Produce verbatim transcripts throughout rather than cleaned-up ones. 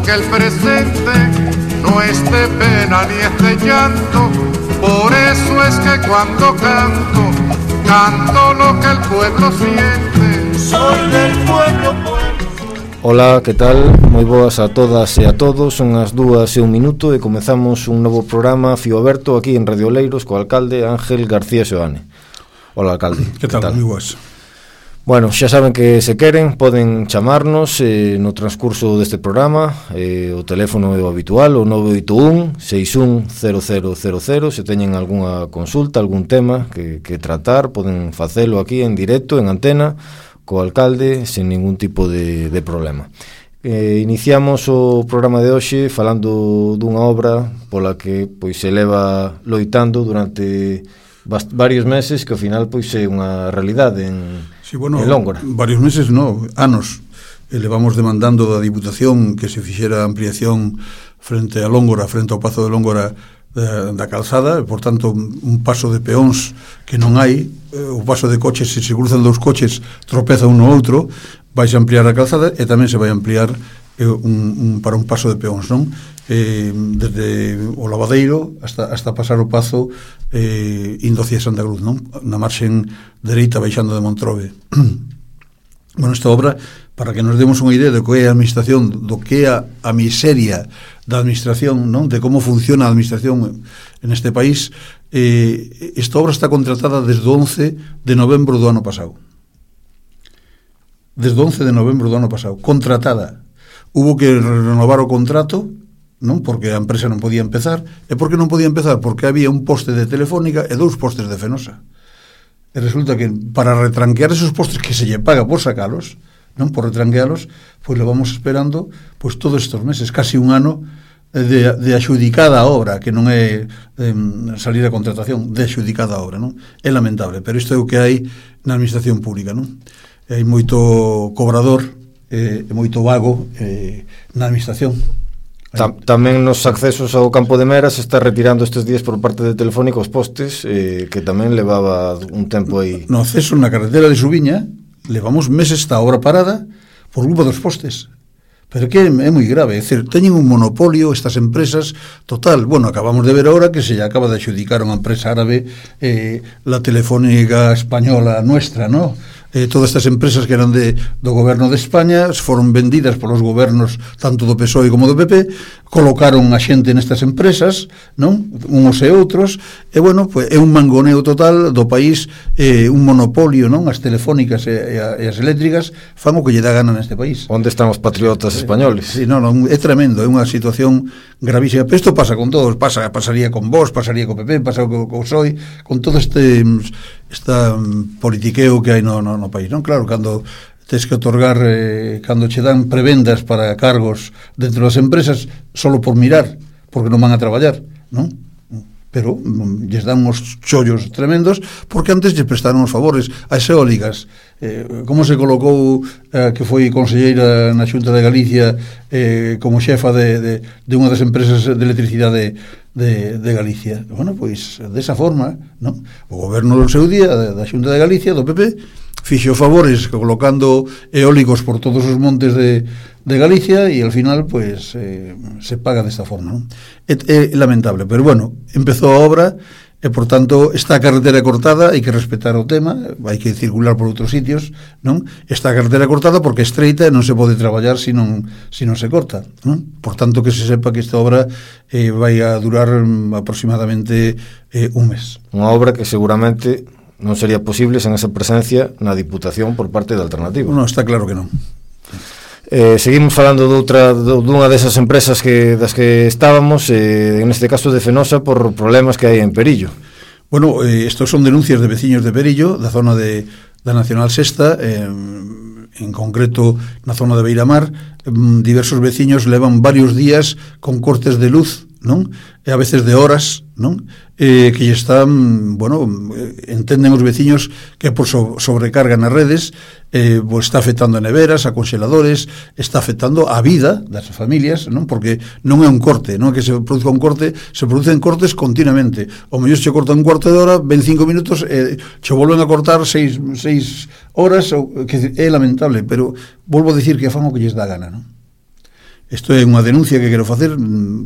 que el presente no es de pena ni es de llanto. Por eso es que cuando canto, canto lo que el pueblo siente. Soy del pueblo, pueblo. Ola, que tal? Moi boas a todas e a todos. Son as dúas e un minuto e comezamos un novo programa Fío Aberto aquí en Radio Oleiros co alcalde Ángel García Seoane. Ola, alcalde. Que tal? Moi boas. Bueno, xa saben que se queren poden chamarnos eh, no transcurso deste programa. eh, O teléfono é o habitual, o nove oito un, seis un cero cero cero cero. Se teñen algunha consulta, algún tema que, que tratar, poden facelo aquí en directo, en antena, co alcalde, sen ningún tipo de, de problema. Eh, iniciamos o programa de hoxe falando dunha obra pola que pois se leva loitando durante bast- varios meses, que ao final pois é unha realidade en, sí, bueno, en Lóngora. Varios meses, no, anos. E levamos demandando da Diputación que se fixera ampliación frente a Lóngora, frente ao Pazo de Lóngora da, da calzada, e, por tanto, un paso de peóns que non hai, o paso de coches, se se cruzan dous coches, tropeza un no outro, vais a ampliar a calzada e tamén se vai ampliar eh, un, un, para un paso de peóns, non? Eh, desde o Lavadeiro hasta, hasta pasar o Pazo eh, indo hacia Santa Cruz, non? Na marxen dereita baixando de Montrobe. Bueno, esta obra, para que nos demos unha idea de que é a administración, do que é a, a miseria da administración, non? De como funciona a administración en este país, eh, esta obra está contratada desde o once de novembro do ano pasado. Desde o once de novembro do ano pasado, contratada. Hubo que renovar o contrato, non? Porque a empresa non podía empezar. E por que non podía empezar? Porque había un poste de Telefónica e dous postes de Fenosa. E resulta que para retranquear esos postes que se lle paga por sacalos, non, por retranquealos, pois lo vamos esperando pois todos estes meses, casi un ano de, de axudicada a obra, que non é eh, salir a contratación, de axudicada a obra, non? É lamentable, pero isto é o que hai na administración pública, non? Hai moito cobrador e eh, moito vago eh, na administración. Tam, tamén nos accesos ao campo de Mera se está retirando estes días por parte de Telefónica os postes, eh, que tamén levaba un tempo aí. No acceso na carretera de Subiña levamos meses esta obra parada por culpa dos postes. Pero que é moi grave, é dicir, teñen un monopolio estas empresas total. Bueno, acabamos de ver agora que se lle acaba de adxudicar unha empresa árabe eh, la Telefónica española nuestra, ¿no? Eh, todas estas empresas que eran de, do goberno de España foron vendidas polos gobernos tanto do P S O E como do P P, colocaron a xente nestas empresas, non? Uns e outros, e bueno, pues, é un mangoneo total do país, eh, un monopolio, non? As telefónicas e, e, a, e as eléctricas fan o que lle dá gana neste país. Onde están os patriotas españoles? Sí, non, non, é tremendo, é unha situación gravísima. Pero isto pasa con todos, pasa, pasaría con vos, pasaría co P P, pasa co, co P S O E, con todo este esta um, politiqueo que hai no, no, no país, non? Claro, cando tes que otorgar, eh, cando che dan prebendas para cargos dentro das empresas, solo por mirar, porque non van a traballar, non? Pero um, lles dan uns chollos tremendos, porque antes lles prestaron os favores as eólicas. Eh, como se colocou eh, que foi conselleira na Xunta de Galicia eh, como xefa de, de, de unha das empresas de electricidade de, de Galicia. Bueno, pois, desa forma, non? O goberno do seu día, da Xunta de Galicia, do P P, fixo favores colocando eólicos por todos os montes de, de Galicia e al final, pois, eh, se paga desta forma, non? É, é lamentable, pero bueno, empezou a obra e, por tanto, esta carretera cortada, hai que respetar o tema, hai que circular por outros sitios, non? Esta carretera cortada porque é estreita e non se pode traballar se non, se non se corta, non? Por tanto, que se sepa que esta obra eh, vai a durar aproximadamente eh, un mes. Unha obra que seguramente non sería posible sen esa presencia na Diputación por parte da Alternativa. Non, está claro que non. Eh, seguimos falando de outra, de, dunha desas empresas que das que estábamos, eh, en este caso de Fenosa, por problemas que hai en Perillo. Bueno, eh, estos son denuncias de veciños de Perillo, da zona de, da Nacional Sexta, eh, en concreto na zona de Beiramar. Eh, diversos veciños levan varios días con cortes de luz, non? E a veces de horas, non? Eh, que están, bueno, entenden os veciños que por so, sobrecarga nas redes, eh, pues está afectando a neveras, a congeladores, está afectando a vida das familias, non? Porque non é un corte, non é que se produzca un corte, se producen cortes continuamente. O mellor se corta un cuarto de hora, veinticinco minutos, eh, se volven a cortar seis, seis horas, que é lamentable, pero volvo a dicir que fan o que lles dá gana, non? Isto é unha denuncia que quero facer,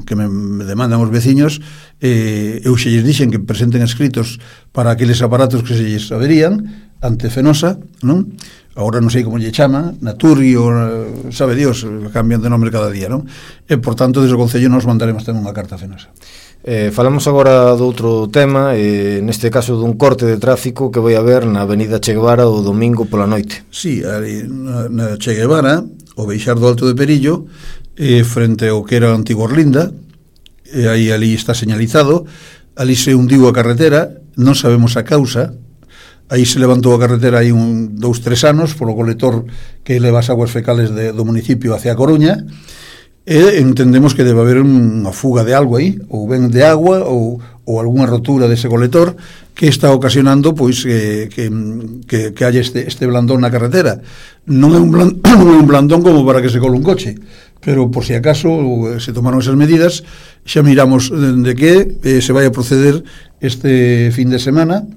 que me, me demandan os veciños. eh, eu xe lles dixen que presenten escritos para aqueles aparatos que se lles averían ante Fenosa, non? Agora non sei como lle chama, Naturi ou sabe Dios, cambian de nombre cada día, non? E por tanto desde o Concello nos mandaremos tamén unha carta a Fenosa. Eh, falamos agora do outro tema, eh, neste caso dun corte de tráfico que vai haber na avenida Che Guevara o domingo pola noite. Sí, ali na, na Che Guevara, o Beixar do Alto de Perillo, eh, frente ao que era a antiga Orlinda, e aí ali está señalizado, ali se hundiu a carretera, non sabemos a causa, aí se levantou a carretera hai un, dous, tres anos polo colector que leva as aguas fecales de, do municipio hacia a Coruña, e entendemos que debe haber unha fuga de algo aí, ou ben de agua ou, ou algunha rotura dese colector que está ocasionando pois que, que, que, que haya este, este blandón na carretera. Non é un blandón, un blandón como para que se cole un coche, pero por si acaso se tomaron esas medidas. Xa miramos de que eh, se vai a proceder este fin de semana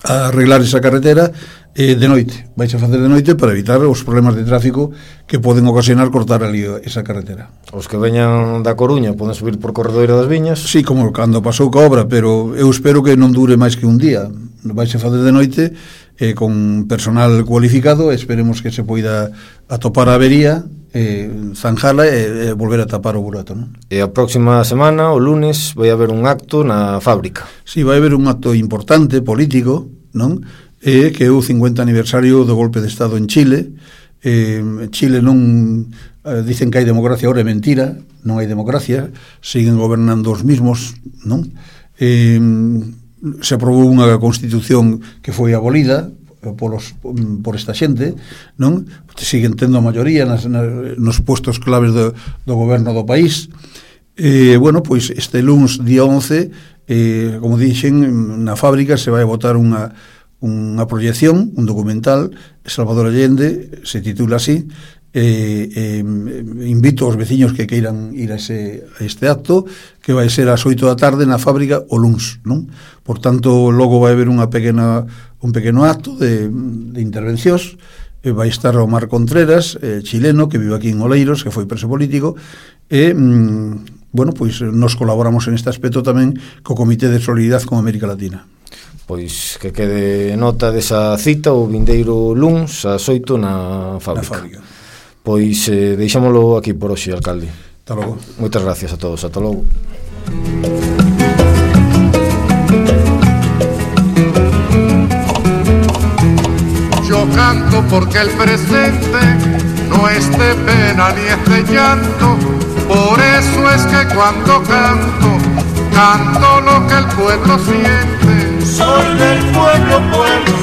a arreglar esa carretera eh, de noite. Vais a facer de noite para evitar os problemas de tráfico que poden ocasionar cortar ali esa carretera. Os que veñan da Coruña poden subir por Corredoira das Viñas. Sí, como cando pasou ca obra, pero eu espero que non dure máis que un día. Vais a facer de noite eh, con personal cualificado. Esperemos que se poida atopar a avería, eh, zanjala e eh, volver a tapar o burato, non? E a próxima semana, o lunes, vai haber un acto na fábrica. Sí, vai haber un acto importante, político, non? Eh, que é o cincuenta aniversario do golpe de Estado en Chile. Eh, Chile non... Eh, dicen que hai democracia, ahora é mentira, non hai democracia, siguen gobernando os mismos, non? Eh, se aprobou unha constitución que foi abolida polos, por esta xente, non? Siguen tendo a maioría nas, nas, nos puestos claves do, do goberno do país. Eh, bueno, pois este luns, día once, eh, como dixen, na fábrica se vai a botar unha, unha proyección, un documental, Salvador Allende, se titula así. Eh, eh, invito aos veciños que queiran ir a, ese, a este acto, que vai ser ás oito da tarde na fábrica o luns, non? Por tanto, logo vai haber unha pequena, un pequeno acto de, de intervencións. eh, vai estar Omar Contreras, eh, chileno, que vive aquí en Oleiros, que foi preso político, e mm, bueno, pois nos colaboramos en este aspecto tamén co Comité de Solidaridade con América Latina. Pois que quede nota desa cita o vindeiro luns ás oito na fábrica. Na fábrica. Pois eh, deixámolo aquí por hoxe, alcalde. Hasta logo. Moitas gracias a todos, ata logo. Yo canto porque el presente no es de pena ni es de llanto, por eso es que cuando canto, canto lo que el pueblo siente. Soy del pueblo, pueblo